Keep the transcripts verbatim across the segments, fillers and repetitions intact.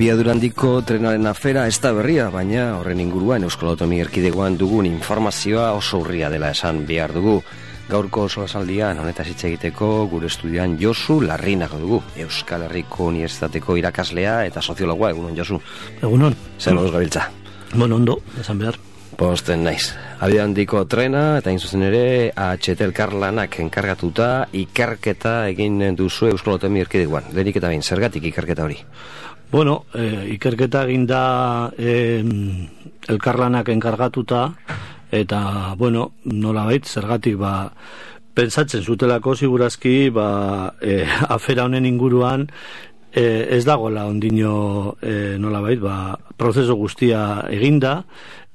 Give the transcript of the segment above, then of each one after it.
Abiadurandiko trenaren afera ez da berria, baina horren inguruan Euskal Autonomia Erkidegoan dugun informazioa oso urria dela esan behar dugu. Gaurko oso asaldian honetaz hitz egiteko gure estudian Josu Larrinaga dugu, Euskal Herriko Unibertsitateko irakaslea eta soziologoa. Egunon, Josu. Egunon. Zer moduz gabiltza? Bueno, ondo, esan behar. Posten naiz. Abiadurandiko trena eta inzuzen ere A H T elkarlanak enkargatuta ikerketa egin duzu Euskal Autonomia Erkidegoan. Lehenik eta behin, zergatik ikerketa hori? Bueno, eh, ikerketa egin da eh, elkarlanak enkargatuta, eta, bueno, nolabait, zergatik, ba, pentsatzen zutelako, segurazki, ba, eh, afera honen inguruan, eh, ez dagoela ondino, eh, nolabait, ba, prozesu guztia eginda,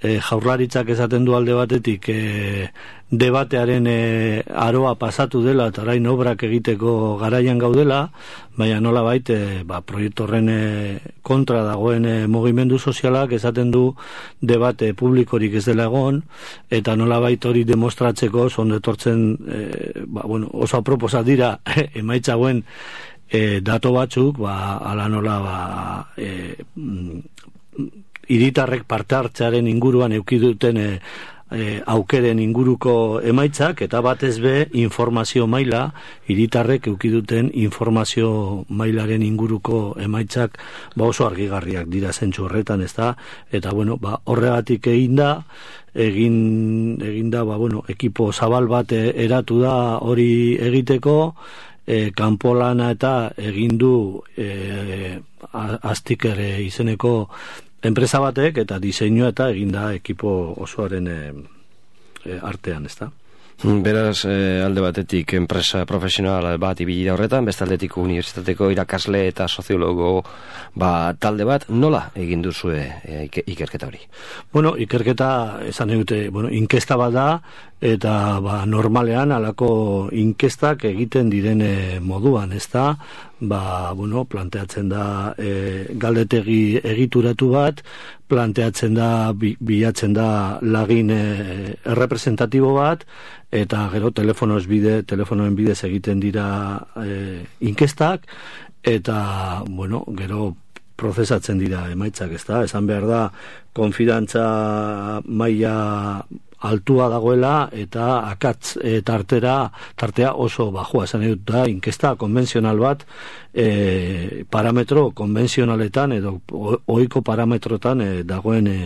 eh, jaurlaritzak esaten du alde batetik, eh, debatearen e, aroa pasatu dela eta orain obrak egiteko garaian gaudela, baina nolabait e, ba, proiektu horren e, kontra dagoen e, mugimendu sozialak esaten du debate publikorik ez dela egon, eta nolabait hori demostratzeko zondetortzen e, ba, bueno, oso aproposa dira emaitza hauen e, dato batzuk, ba, ala nola ba, e, hiritarrek parte hartzearen inguruan eduki duten e, E, aukeren inguruko emaitzak, eta batez be informazio maila, hiritarrek eduki duten informazio mailaren inguruko emaitzak ba oso argigarriak dira zentzu horretan, ezta? Eta bueno, ba horregatik egin da, egin egin da, ba bueno, ekipo zabal bat eratu da hori egiteko, e, kanpolana eta egin du e, Astiker e, izeneko enpresa batek eta diseinua eta eginda ekipo osoaren e, e, artean, ezta? Beraz, e, alde batetik enpresa profesional bat ibili da horretan, beste aldetik unibertsitateko irakasle eta soziologo ba, talde bat, nola egin duzue e, ikerketa hori? Bueno, ikerketa esan dute, bueno, inkesta bat da, eta ba, normalean alako inkestak egiten direne moduan, ezta? Ba, bueno, planteatzen da e, galdetegi egituratu bat, planteatzen da, bi, bilatzen da lagin e, errepresentatibo bat, eta gero telefonoz bide, telefonoen bidez egiten dira e, inkestak, eta, bueno, gero prozesatzen dira emaitzak, ezta? Esan behar da, konfidantza maila altua dagoela eta akatz e, tartera, tartea oso bajua, esan dut da, inkesta konbentzional bat e, parametro konbentzionaletan edo ohiko parametrotan e, dagoen e,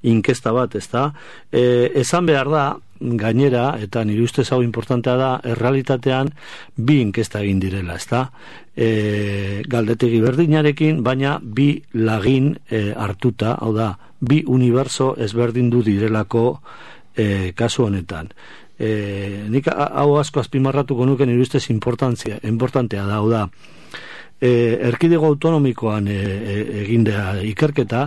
inkesta bat, ezta? E, esan behar da, gainera, eta nire ustez hau importantea da, errealitatean bi inkesta egin direla, ezta? E, galdetegi berdinarekin, baina bi lagin e, hartuta, hau da, bi uniberso ezberdindu direlako E, kasu honetan. E, nik hau asko azpimarratuko nuke nire ustez importantzia, importantea da, hau da, e, erkidego autonomikoan e, e, egindea ikerketa,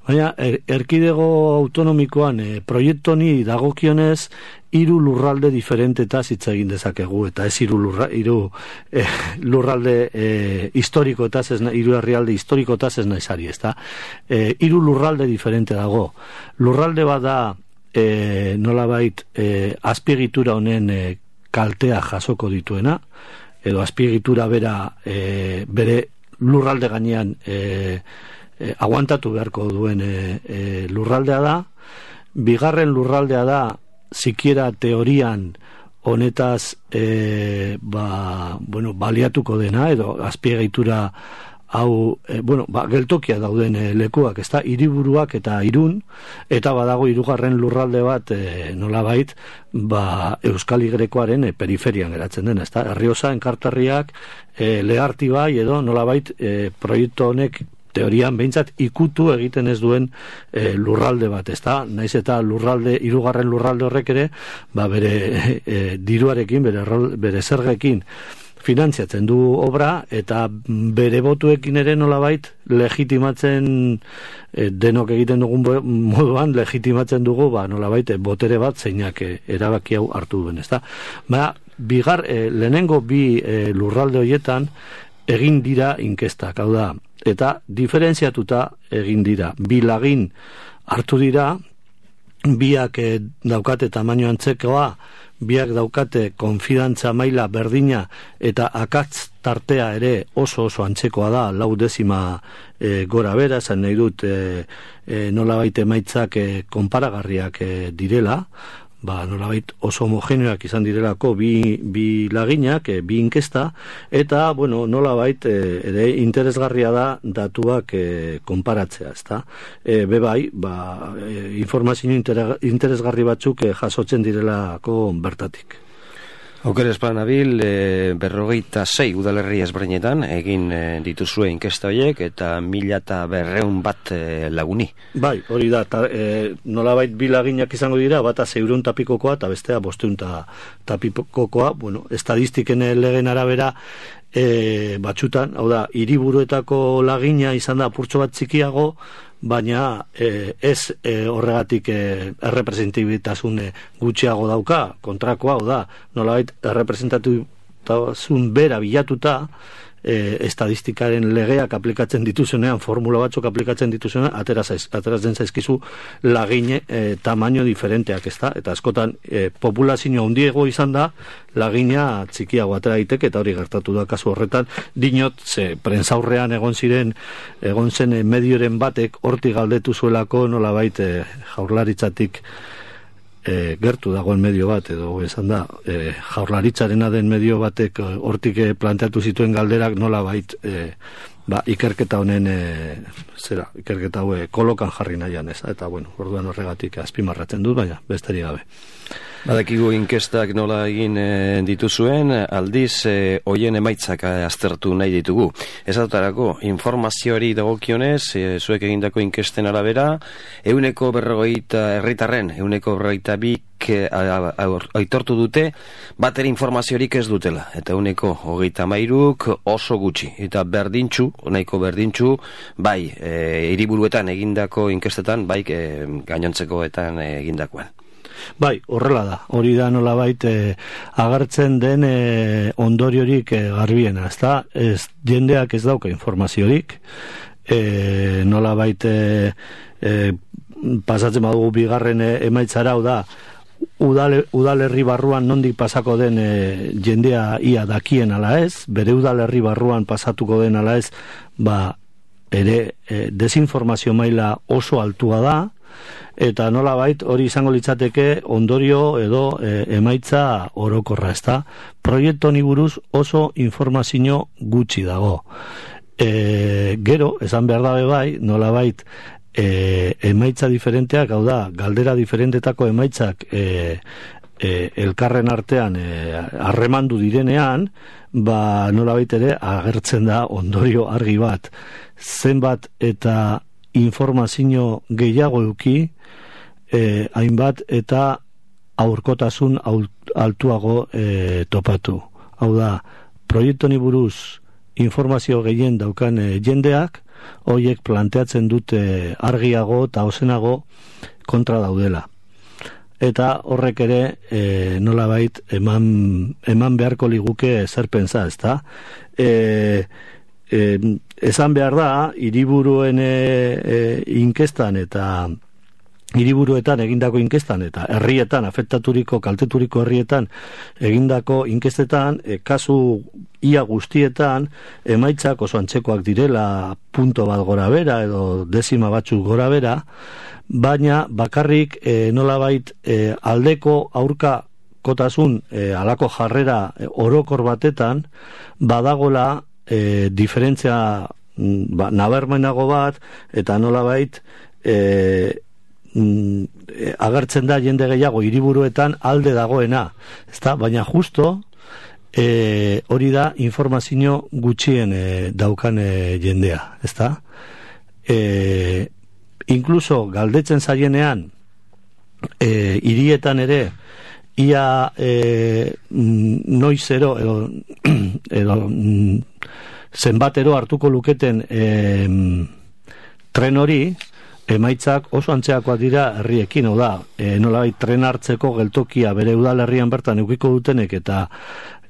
baina er, erkidego autonomikoan e, proiektu honi dagokionez hiru lurralde diferentetaz hitz egin dezakegu, eta ez hiru lurra, hiru e, lurralde e, historikoetaz, ez hiru herrialde historikoetaz ez naizari, ezta? E, hiru lurralde diferente dago. Lurralde bat da E, nolabait e, azpiegitura honen e, kaltea jasoko dituena, edo azpiegitura bera e, bere lurralde gainean e, e, aguantatu beharko duen e, e, lurraldea da. Bigarren lurraldea da, sikiera teorian honetaz e, ba, bueno, baliatuko dena, edo azpiegitura hau, e, bueno, ba, geltokia dauden e, lekuak, ezta, hiriburuak eta Irun, eta badago hirugarren lurralde bat, e, nolabait, ba, Euskal Igrekoaren e, periferian geratzen den, ezta, Errioxa, Enkarterriak, e, Lehartibai, edo nolabait, e, proiektu honek teorian behintzat ikutu egiten ez duen e, lurralde bat, ezta, naiz eta lurralde, hirugarren lurralde horrek ere, ba, bere e, diruarekin, bere, bere zergekin, finantziatzen du obra, eta bere botuekin ere nolabait legitimatzen e, denok egiten dugun moduan legitimatzen dugu ba, nolabait botere bat zeinak e, erabaki hau hartu duen, ezta? Ba, bigar, e, lehenengo bi e, lurralde horietan egin dira inkestak, hau da, eta diferentziatuta egin dira. Bi lagin hartu dira, biak e, daukate tamaino antzekoa, biak daukate konfidantza maila berdina eta akatz tartea ere oso oso antzekoa da, lau dezima e, gora bera, esan nahi dut e, e, nolabait emaitzak e, konparagarriak e, direla, ba, nolabait oso homogeneoak izan direlako bi, bi laginak, e, bi inkesta, eta, bueno, nolabait e, ere interesgarria da datuak e, konparatzea, ezta? E, bebai, ba, e, informazio interesgarri batzuk e, jasotzen direlako bertatik. Auker esplan abil, e, berrogeita sei udalerri ezberdinetan egin e, dituzue inkesta horiek eta mila eta berreun bat e, laguni. Bai, hori da, ta, e, nolabait bi laginak izango dira, bata zeurun tapikokoa eta bestea bosteun tapikokoa, bueno, estadistiken legen arabera e, batxutan, hau da, hiriburuetako lagina izan da apurtxo bat txikiago, baina e, ez e, horregatik e, errepresentibitasun gutxiago dauka, kontrakoa, hau da, nolabait errepresentatibotasun bera bilatuta, e, estadistikaren legeak aplikatzen dituzenean, formula batzuk aplikatzen dituzenean, ateratzen zaizkizu lagine e, tamaino diferenteak, ezta? Eta askotan e, populazio handiago izan da, lagina txikiago atera daiteke, eta hori gertatu da kasu horretan, dinot, ze prentsaurrean egon ziren, egon zen e, medioren batek hortik galdetu zuelako nolabait e, jaurlaritzatik e, gertu dagoen medio bat, edo esan da, e, jaurlaritzarena den medio batek hortik e, planteatu zituen galderak nolabait e, ba, ikerketa honen e, zera, ikerketa hau kolokan jarri nahian, ez? Eta, bueno, orduan horregatik azpimarratzen dut, baina besterik gabe. Badakigu inkestak nola egin e, dituzuen, aldiz e, hoien emaitzak e, aztertu nahi ditugu. Ez adotarako, informazioari dagokionez, e, zuek egindako inkesten arabera, euneko berrogeita herritarren, euneko berrogeita bik aitortu dute, bater informaziorik ez dutela, eta euneko hogeita mairuk oso gutxi, eta berdintxu, nahiko berdintxu, bai, e, hiriburuetan egindako inkestetan, bai, e, gainontzekoetan egindakoan. Bai, horrela da, hori da nolabait e, agertzen den e, ondoriorik e, garbiena, ezta? Ez, jendeak ez dauka informaziorik, e, nolabait e, e, pasatzen badugu bigarren e, emaitzara, hau da, udale, udalerri barruan nondik pasako den e, jendea ia dakien ala ez, bere udalerri barruan pasatuko den ala ez, ba, ere e, desinformazio maila oso altua da, eta nolabait hori izango litzateke ondorio edo e, emaitza orokorra, ezta? Proiektu honi buruz oso informazio gutxi dago. E, gero, esan behar dabe bai, nolabait e, emaitza diferenteak, hau da, galdera diferentetako emaitzak e, e, elkarren artean harremandu e, direnean, ba nolabait ere agertzen da ondorio argi bat. Zenbat eta informazio gehiago eduki, eh, hainbat eta aurkotasun altuago eh, topatu. Hau da, proiektu honi buruz informazio gehien daukan eh, jendeak, horiek planteatzen dute argiago eta ozenago kontra daudela. Eta horrek ere e, nolabait eman, eman beharko liguke zer pentsa, ezta? E, e, esan behar da, hiriburuen e, e, inkestan eta hiriburuetan egindako inkestan eta herrietan, afektaturiko, kalteturiko herrietan egindako inkestetan, e, kasu ia guztietan emaitzak oso antzekoak direla, punto bat gora bera edo dezima batzuk gora bera, baina bakarrik e, nolabait e, aldeko aurka kotasun e, alako jarrera e, orokor batetan badagola e, diferentzia ba, nabarmenago bat eta nolabait e, mm, agertzen da jende gehiago hiriburuetan alde dagoena, ezta? Baina justo e, hori da informazio gutxien e, daukan e, jendea, ezta? E, Inkluso galdetzen zaienean e, hirietan ere ia e, noizero edo, edo zenbatero hartuko luketen e, tren hori, emaitzak oso antzeakoak dira herriekin, hau da, e, nolabait tren hartzeko geltokia bere udalerrian bertan edukiko dutenek eta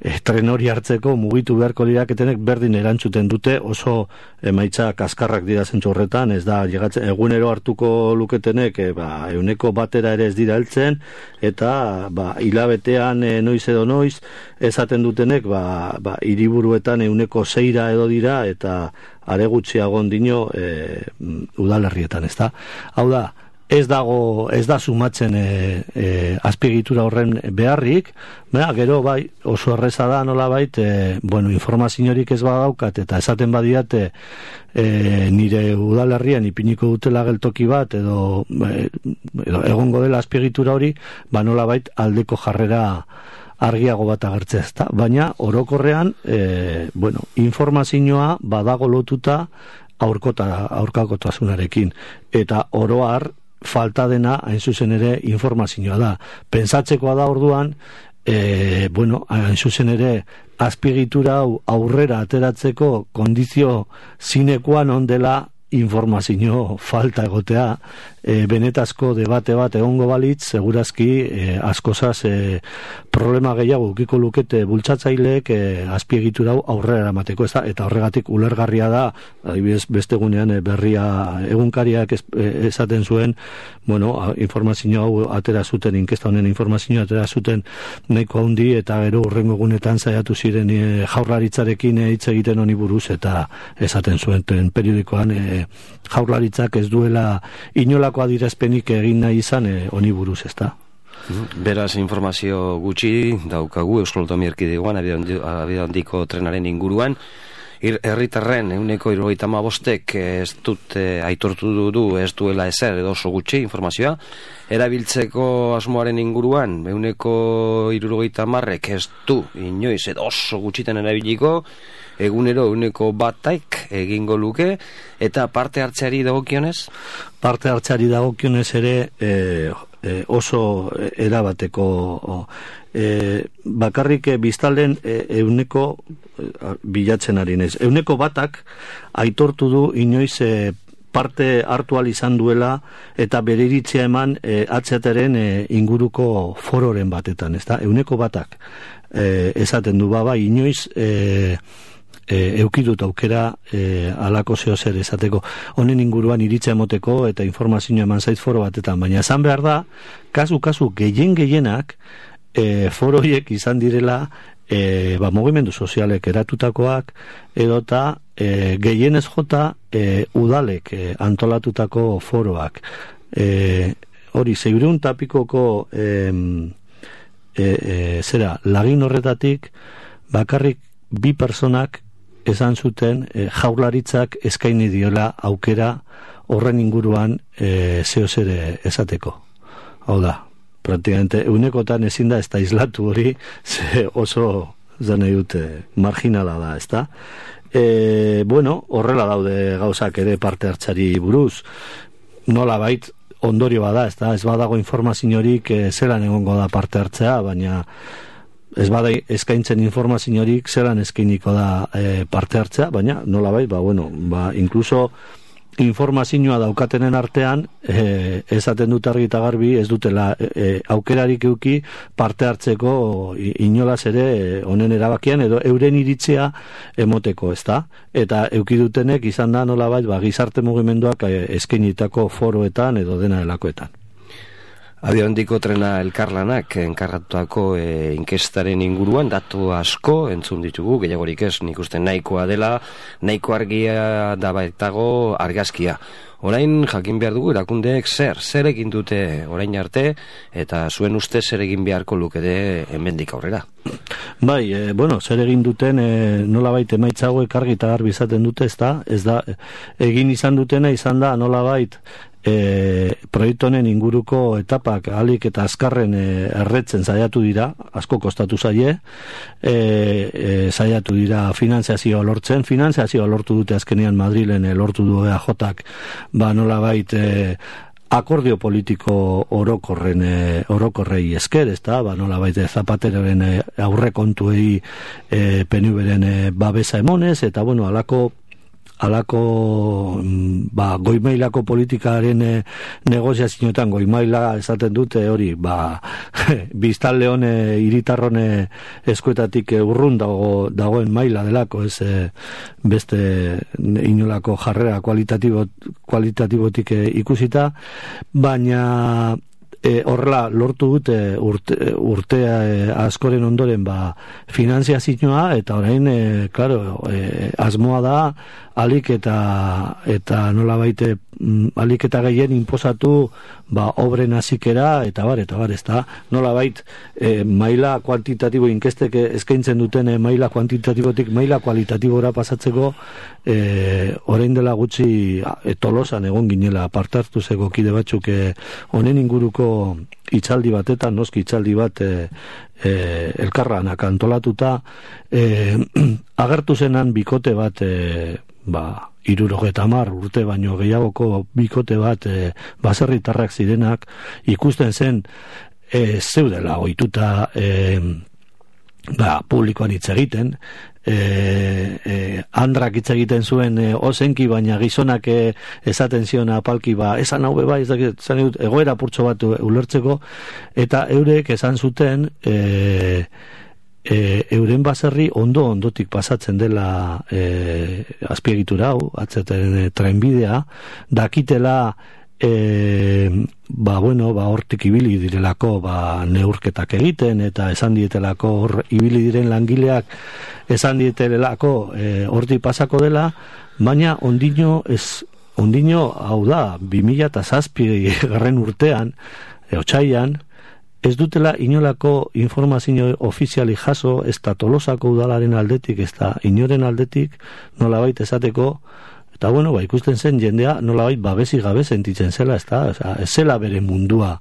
e, tren hori hartzeko mugitu beharko diraketenek berdin erantzuten dute, oso emaitza kaskarrak dira zentzu horretan, ez da, llegatzen, egunero hartuko luketenek, e, ba, euneko batera ere ez dira heltzen, eta ba, hilabetean e, noiz edo noiz, esaten dutenek, ba, ba, hiriburuetan euneko zeira edo dira, eta are gutxiago ondino e, udalerrietan, ez da. Hau da, ez dago, ez da sumatzen e, e, azpiegitura horren beharrik, bera, gero bai, oso erreza da nolabait, e, bueno, informaziorik ez badaukat, eta esaten badiate e, nire udalerrian ipiniko dutela geltoki bat, edo, e, edo egongo dela azpiegitura hori, ba nolabait aldeko jarrera argiago bat agertzea, ezta? Baina orokorrean, e, bueno, informazioa badago lotuta aurkota, aurkakotasunarekin, eta oro har falta dena hain zuzen ere informazioa da. Pentsatzekoa da orduan, e, bueno, hain zuzen ere azpiegitura hau aurrera ateratzeko kondizio sine qua non dela informazio falta egotea, e, benetazko debate bat egongo balitz, segurazki e, askozaz e, problema gehiago ukiko lukete bultzatzaileek e, azpiegitura hau aurrera eramateko, ez da, eta horregatik ulergarria da, adibidez beste egunean e, berria egunkariak es, e, esaten zuen, bueno, informazio hau atera zuten, inkesta honen informazio atera zuten nahiko handi, eta gero urrengo egunetan saiatu ziren e, jaurlaritzarekin e, hitz egiten honi buruz, eta esaten zuen periodikoan e, jaurlaritzak ez duela inolako adierazpenik egin nahi izan honi buruz, ezta. Beraz, informazio gutxi daukagu Euskal Autonomia Erkidegoan abia handiko trenaren inguruan. Herritarren ehuneko hirurogeita hamabostek ez dut eh, aitortu du ez duela ezer edo oso gutxi informazioa. Erabiltzeko asmoaren inguruan ehuneko hirurogeita hamarrek ez du inoiz edo oso gutxiten erabiliko, egunero ehuneko batak egingo luke, eta parte hartzeari dagokionez? Parte hartzeari dagokionez ere e, e, oso erabateko e, bakarrik biztalen e, euneko e, bilatzen ari nez. Euneko batak aitortu du inoiz e, parte hartu al izan duela eta bere iritzia eman e, atzeteren e, inguruko fororen batetan, ezta? Euneko batak e, esaten du baba inoiz e, E, eukidut aukera e, alako zeo zer esateko, honen inguruan iritza emoteko eta informazioa eman zait foro batetan, baina esan behar da, kasu-kasu gehien gehienak e, foroiek izan direla e, ba, mugimendu sozialek eratutakoak, edota e, gehienez jota e, udalek e, antolatutako foroak. E, hori, zeireun tapikoko e, e, e, zera, lagin horretatik bakarrik bi personak esan zuten e, jaurlaritzak eskaini diola aukera horren inguruan e, zeo zere esateko. Hau da, praktikamente eunekotan ezin da ez da islatu hori, ze oso zane dute marginala da, ez da? E, bueno, horrela daude gauzak ere parte hartzari buruz, nola bait ondorio bada, ez da? Ez badago informaziorik e, zelan egongo da parte hartzea, baina ez bada eskaintzen informaziorik zelan eskainiko da e, parte hartzea, baina nola bai, ba, bueno, ba, inkluso informazioa daukatenen artean e, esaten dut argi eta garbi ez dutela e, aukerarik euki parte hartzeko inolaz ere honen erabakian edo euren iritzea emoteko, ezta? Eta euki dutenek izan da nola bai, ba, gizarte mugimenduak e, eskainitako foroetan edo dena delakoetan. Abia handiko trena elkarlanak enkarratutako e, inkestaren inguruan datu asko entzun ditugu, gehiagorik ez, nik uste nahikoa dela, nahiko argia da baitago argazkia. Orain jakin behar dugu erakundeek zer, zer egin dute orain arte, eta zuen uste zer egin beharko lukete hemendik aurrera. Bai, e, bueno, zer egin duten e, nolabait emaitza hauek argi eta garbi izaten dute, ez da, ez da, egin izan dutena izan da nolabait E, proiektu honen inguruko etapak ahalik eta azkarren e, erretzen saiatu dira, asko kostatu zaie, e, e, saiatu dira finanziazioa lortzen, finanziazioa lortu dute azkenean Madrilen e, lortu du E A Jak, ba nolabait e, akordio politiko orokorren e, orokorrei esker, ezta, ba nolabait Zapateroren e, aurrekontuei e, P N Vren e, babesa emonez, eta bueno, alako alako ba, goimailako politikaren e, negoziazioetan, goimaila esaten dute hori, ba, biztanle hone, hiritarrone eskuetatik urrun dago, dagoen maila delako, ez e, beste inolako jarrera kualitatibo, kualitatibotik e, ikusita, baina E, horrela lortu dute urte, urtea e, askoren ondoren ba, finanziazioa eta orain, e, claro, e, asmoa da alik eta eta nola baite alik eta gehien inposatu ba, obren hasikera eta bar, eta bar, ez da nola bait e, maila kuantitatibo inkestek eskaintzen duten e, maila kuantitatibotik maila kualitatibora pasatzeko e, orain dela gutxi e, Tolosan egon ginela partartu zego kide batzuk e, honen inguruko hitzaldi batetan, noski hitzaldi bat e, e, elkarranak antolatuta e, agertu zenan bikote bat e, ba, hirurogeta hamar urte baino gehiagoko bikote bat e, baserritarrak zirenak ikusten zen e, zeudela ohituta e, ba, publikoan hitz egiten e, e, andrak hitz egiten zuen e, ozenki baina gizonak e, esaten zion apalki ba, esan hau beba, esan dut egoera purtso bat ulertzeko eta eurek esan zuten e, E, euren baserri ondo ondotik pasatzen dela e, azpiegitura hau, atzeten e, trenbidea, dakitela e, ba bueno, ba hortik ibili direlako ba neurketak egiten eta esan dietelako hor ibili diren langileak esan dietelako e, hortik pasako dela, baina ondino ez ondino hau da bi mila zazpi garren urtean, e, otsailean ez dutela inolako informazio ofiziali jaso, ez da Tolosako udalaren aldetik, ez da inoren aldetik, nolabait esateko, eta bueno, ba, ikusten zen jendea nolabait babesi gabe sentitzen zela, ez da, ez zela bere mundua,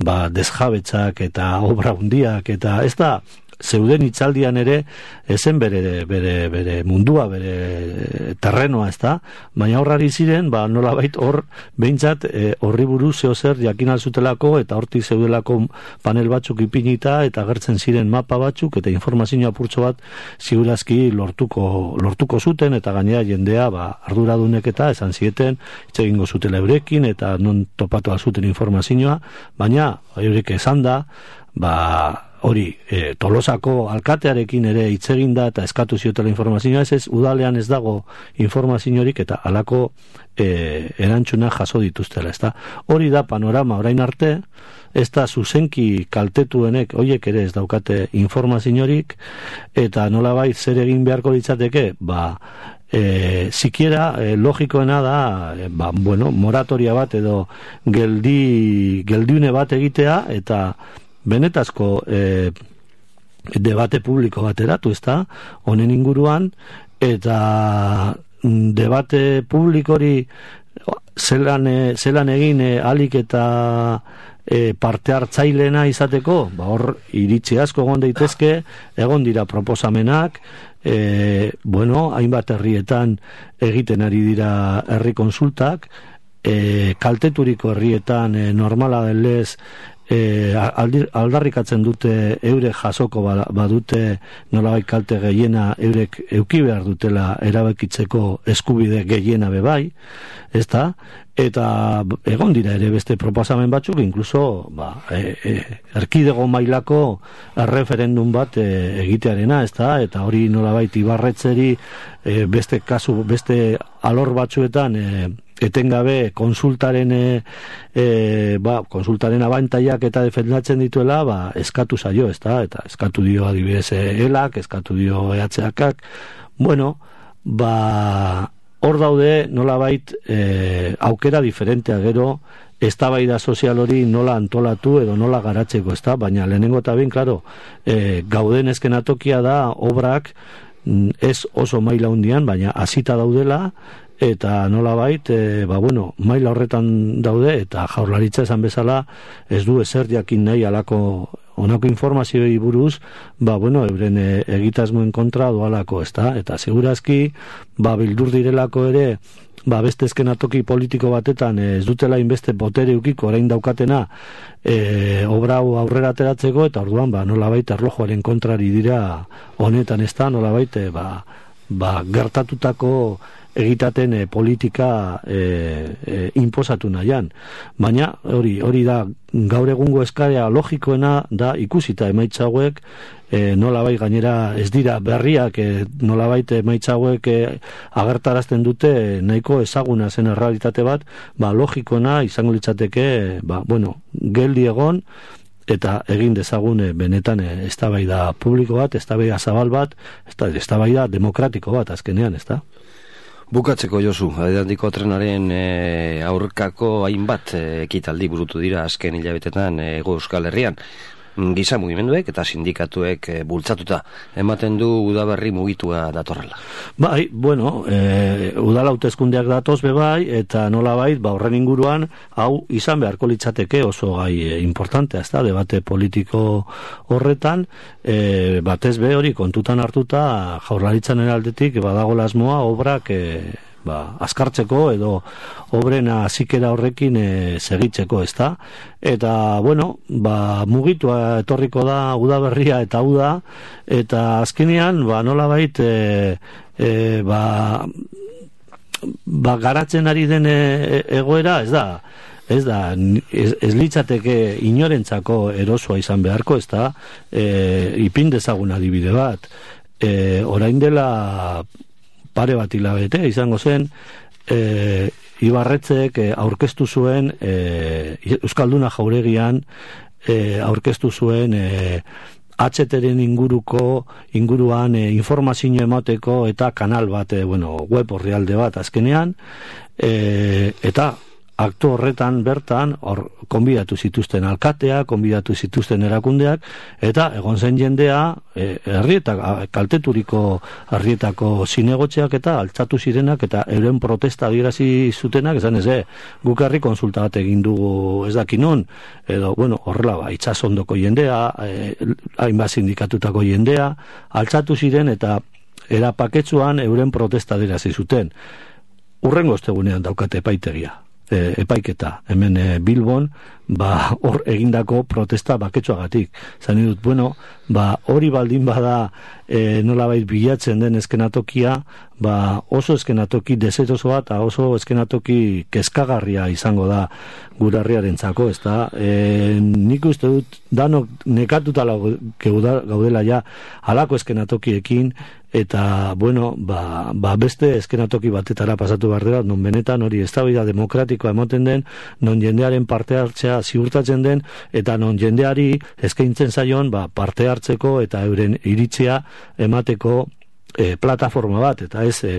ba, desjabetzak eta obra hundiak, eta ez da, zeuden hitzaldian ere ezen bere, bere, bere mundua, bere terrenoa, ez da, baina horrari ziren, ba, nolabait hor behintzat e, horri buruz zeo zer jakin alzutelako eta hortik zeudelako panel batzuk ipinita eta agertzen ziren mapa batzuk eta informazio apurtxo bat ziurazki lortuko, lortuko zuten eta gainera jendea ba, arduradunek eta esan zieten hitz egingo zutela eurekin eta non topatu alzuten informazioa, baina eurek esan da, ba hori, e, Tolosako alkatearekin ere hitz egin da eta eskatu ziotela informazioa, ez ez, udalean ez dago informaziorik eta halako e, erantzuna jaso dituztela, ez da. Hori da panorama orain arte, ez da zuzenki kaltetuenek, hoiek ere ez daukate informaziorik, eta nolabait zer egin beharko litzateke, ba, E, sikiera e, logikoena da e, ba, bueno, moratoria bat edo geldi, geldiune bat egitea eta benetazko e, debate publiko bat eratu, ez da, honen inguruan, eta debate publikori zelan, e, zelan egin e, alik eta e, parte hartzailena izateko, ba, hor iritzi asko egon daitezke, egon dira proposamenak, e, bueno, hainbat herrietan egiten ari dira herri konsultak, e, kalteturiko herrietan e, normala denlez E, aldarrikatzen dute eurek jasoko badute nolabait kalte gehiena eurek euki behar dutela erabakitzeko eskubide gehiena bebai, ez da? Eta egon dira ere beste proposamen batzuk, inkluso ba, e, e, erkidego mailako referendum bat e, egitearena, ez da? Eta hori nolabait ibarretzeri e, beste kasu, beste alor batzuetan e, etengabe konsultaren e, e, ba, konsultaren abantaiak eta defendatzen dituela, ba, eskatu zaio, ez da? Eta eskatu dio adibidez elak, eskatu dio E H Akak, bueno, ba, hor daude nolabait e, aukera diferentea gero, eztabaida sozial hori nola antolatu edo nola garatzeko, ez da? Baina lehenengo eta behin, klaro, e, gauden eskenatokia da obrak ez oso maila hundian, baina hasita daudela, eta nolabait, e, ba bueno, maila horretan daude, eta Jaurlaritza esan bezala ez du ezer jakin nahi alako honako informazioi buruz, ba bueno, euren e, egitasmoen kontra doalako, ez da? Eta segurazki, ba bildur direlako ere, ba beste eskenatoki politiko batetan e, ez dutela inbeste botere ukiko orain daukatena e, obra hau aurrera ateratzeko, eta orduan, ba nolabait erlojuaren kontrari dira honetan, ez da? Nolabait, e, ba, ba gertatutako egitaten e, politika e, e, inposatu nahian. Baina hori hori da gaur egungo eskarea logikoena da ikusita emaitza hauek e, nolabait gainera ez dira berriak e, nolabait emaitza hauek e, agertarazten dute nahiko ezaguna zen errealitate bat, ba logikoena izango litzateke ba bueno, geldi egon eta egin dezagun e, benetan e, eztabaida publiko bat, eztabaida zabal bat, eztabaida demokratiko bat azkenean, ezta? Bukatzeko Josu, Adedandiko trenaren e, aurkako hainbat e, ekitaldi burutu dira azken hilabetetan e, Hego Euskal Herrian. Giza mugimenduek eta sindikatuek e, bultzatuta ematen du udaberri mugitua datorrela. Bai, bueno, e, udal hauteskundeak datoz bebai eta nolabait ba horren inguruan hau izan beharko litzateke oso gai e, importantea, ezta, debate politiko horretan, e, batez be hori kontutan hartuta Jaurlaritzaren aldetik badagoela asmoa obrak e, ba, azkartzeko edo obrena zikera horrekin e, segitzeko, ezta? Eta, bueno, ba, mugitua etorriko da udaberria eta uda, eta azkenean, ba, nolabait, e, e, ba, ba, garatzen ari den e, egoera, ez da, ez da, ez, ez litzateke inorentzako erosoa izan beharko, ez da, e, ipin dezagun adibide bat, e, orain dela pare bat hilabete izango zen e, Ibarretzek e, aurkeztu zuen e, Euskalduna Jauregian e, aurkeztu zuen e, H T-ren inguruko inguruan e, informazio emateko eta kanal bat, e, bueno, web orrialde bat azkenean e, eta aktu horretan bertan hor konbidatu zituzten alkatea, konbidatu zituzten erakundeak eta egon zen jendea e, herrietak kalteturiko herrietako zinegotxeak eta altzatu zirenak eta euren protesta adierazi zutenak, esan ez, eh, guk herri konsulta bat egin dugu ez dakinon, edo bueno, horrela ba, itsasondoko jendea, e, hainbat sindikatutako jendea, altzatu ziren eta era paketsuan euren protesta adierazi zuten. Urrengo ostegunean daukate epaitegia. E, epaiketa, hemen e, Bilbon, ba, hor egindako protesta baketsuagatik. Zan dut, bueno, ba, hori baldin bada e, nolabait bilatzen den eskenatokia, ba, oso eskenatoki deserosoa eta oso eskenatoki kezkagarria izango da gurarriarentzako, ez da? E, nik uste dut, danok nekatuta gaudela ja halako eskenatokiekin, eta, bueno, ba, ba beste eskenatoki batetara pasatu behar dela, non benetan hori eztabaida demokratikoa ematen den, non jendearen parte hartzea ziurtatzen den, eta non jendeari eskaintzen zaion ba, parte hartzeko eta euren iritzia emateko e, plataforma bat, eta ez e,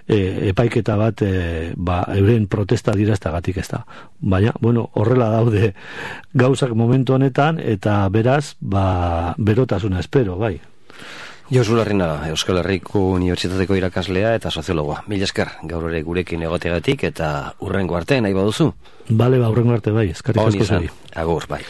e, epaiketa bat e, ba, euren protesta diraztagatik ez da. Baina, bueno, horrela daude gauzak momentu honetan, eta beraz, ba, berotasuna espero, bai. Josu Larrinaga, Euskal Herriko Unibertsitateko irakaslea eta soziologoa. Mila esker, gaur ere gurekin egoteagatik eta urrengo arte nahi baduzu. Bale, ba, urrengo arte bai, eskerrik asko zuri. Agur, bai.